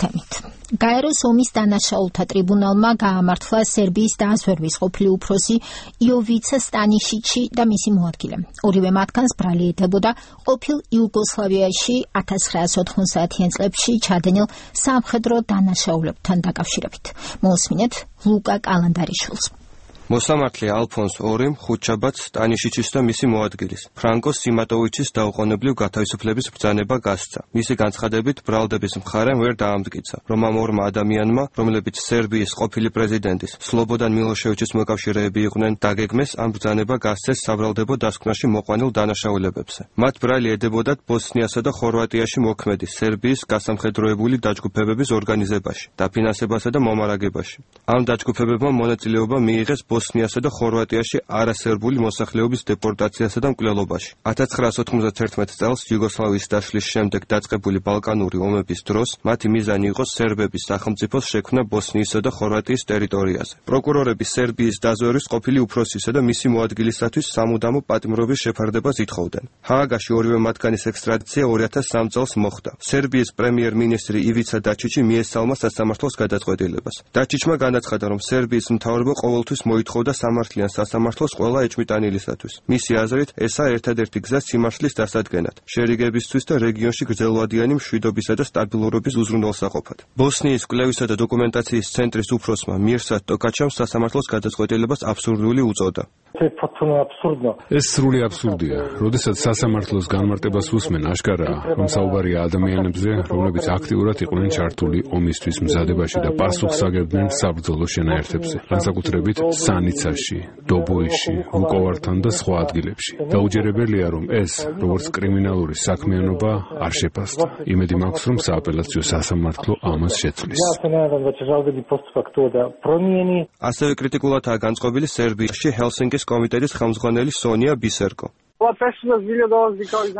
თემით. გაეროს ომის დანაშაულთა ტრიბუნალმა გაამართლა სერბიის დაზვერვის ყოფილი უფროსი იოვიცა სტანიშიჩი და მისი მოადგილე. ორივე მათგანს ბრალი ეთებოდა ყოფილ იუგოსლავიაში 1990-იან წლებში ჩადენილ სამხედრო დანაშაულებთან დაკავშირებით. მოусმინეთ ლუკა კალანდარიშვილს. მოსამართლე ალფონს ორიმ ხუჩაბაც სტანიშიჩის და მისი მოადგილის ფრანკო სიმატოვიჩის დაუყოვნებლივ გათავისუფლების ბრძანება გასცა. მისი განცხადებით ბრალდების მხარემ ვერ დაამტკიცა, რომ ამ ორმა ადამიანმა, რომლებიც სერბიის ყოფილი პრეზიდენტის სლობოდან მილოშევიჩის მოკავშირეები იყვნენ, დაგეგმეს ამ ბრძანება გასცეს საბრალდებო დასკვნაში მოყვანილ დანაშაულებებზე. მათ ბრალი ედებოდათ ბოსნიასა და ხორვატიაში მოქმედი სერბიის გასამხედროებული დაჯგუფებების ორგანიზებაში, დაფინანსებასა და მომარაგებაში. ამ დაჯგუფებებმა მონაწილეობა მიიღეს ბოსნიასა და ხორვატიაში არასერბული მოსახლეობის დეპორტაციასა და მკვლელობაში. 1991 წელს იუგოსლავიის დაშლის შემდეგ დაწყებული ბალკანური ომების დროს მათი მიზანი იყო სერბების სახელმწიფოს შექმნა ბოსნიისა და ხორვატიის ტერიტორიაზე. პროკურორები სერბიის დაზვერვის ყოფილი უფროსისა და მისი მოადგილისათვის სამუდამო პატიმრობის შეფარდებას ითხოვდნენ. ჰააგაში ორივე მათგანის ექსტრადიცია 2003 წელს მოხდა. სერბიის პრემიერ-მინისტრი ივიცა დაჩიჩი მიესალმა სასამართლოს გადაწყვეტილებას. დაჩიჩმა განაცხადა, რომ სერბიის მთავრობა ყოველთვის მოითხოვდა სამართლიან სასამართლოს ყველა ეჭვმიტანილისათვის. მისი აზრით, ესაა ერთადერთი გზა სიმართლის დასადგენად, შერიგებისთვის და რეგიონში გრძელვადიანი მშვიდობისა და სტაბილურობის უზრუნველსაყოფად. ბოსნიის კვლევისა და დოკუმენტაციის ცენტრის უფროსმა მირსად ტოკაჩამ სასამართლოს გადაწყვეტილებას აბსურდული უწოდა. ეს სრული აბსურდია. როდესაც სასამართლოს განმარტებას უსმენ, აშკარაა, რომ საუბარია ადამიანებზე, რომლებიც აქტიურად იყვნენ ჩართული ომისთვის მზადებაში და პასუხს აგებდნენ საბრძოლო შენაერთებზე, განსაკუთრებით სანიცაში, დობოიში, ვუკოვართან და სხვა ადგილებში. დაუჯერებელია, რომ ეს, როგორც კრიმინალური საქმიანობა, არ შეფასდა. იმედი მაქვს, რომ სააპელაციო სასამართლო ამას შეცვლის. ასევე კრიტიკულადაა განწყობილი სერბიაში ჰელსინკის კომიტეტის ხელმძღვანელი სონია ბისერკო.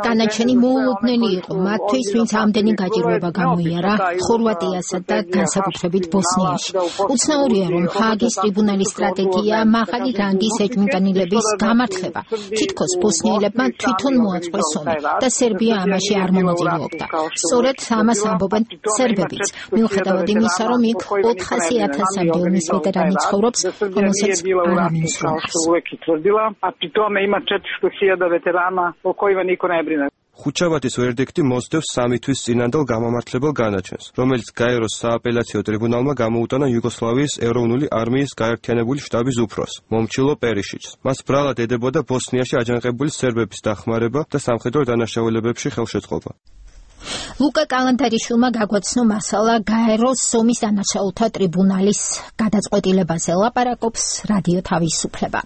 დანარჩენი მოულოდნელი იყო მათთვის, ვინც ამდენი გაჭირვება გამოიარა ხორვატიასა და განსაკუთრებით ბოსნიაში. უცნაურია, რომ ჰააგის ტრიბუნალის სტრატეგია მაღალი რანგის ეჭვმიტანილების გამართლება. თითქოს ბოსნიელებმა თვითონ მოაწყვეს ომი და სერბია ამაში არ მონაწილეობდა. სწორედ ამას ამბობენ სერბებიც, მიუხედავად იმისა, რომ იქ 400,000-მდე ომის ვეტერანი ცხოვრობს, რომელსაც არ ამინუსრუნავს. ხუჩაბათის ვერდიქტი მოსდევს 3 თვის წინანდელ გამამართლებელ განაჩენს, რომელიც გაეროს სააპელაციო ტრიბუნალმა გამოუტანა იუგოსლავიის ეროვნული არმიის გაერთიანებული შტაბის უფროს, მომჩილო პერიშიჩს. მას ბრალად ედებოდა ბოსნიაში აჯანყებული სერბების დახმარება და სამხედრო დანაშაულებებში ხელშეწყობა. ლუკა კალანდარიშვილმა გაგვაცნო მასალა გაეროს ომის დანაშაულთა ტრიბუნალის გადაწყვეტილებაზე. ლაპარაკობს რადიო თავისუფლება.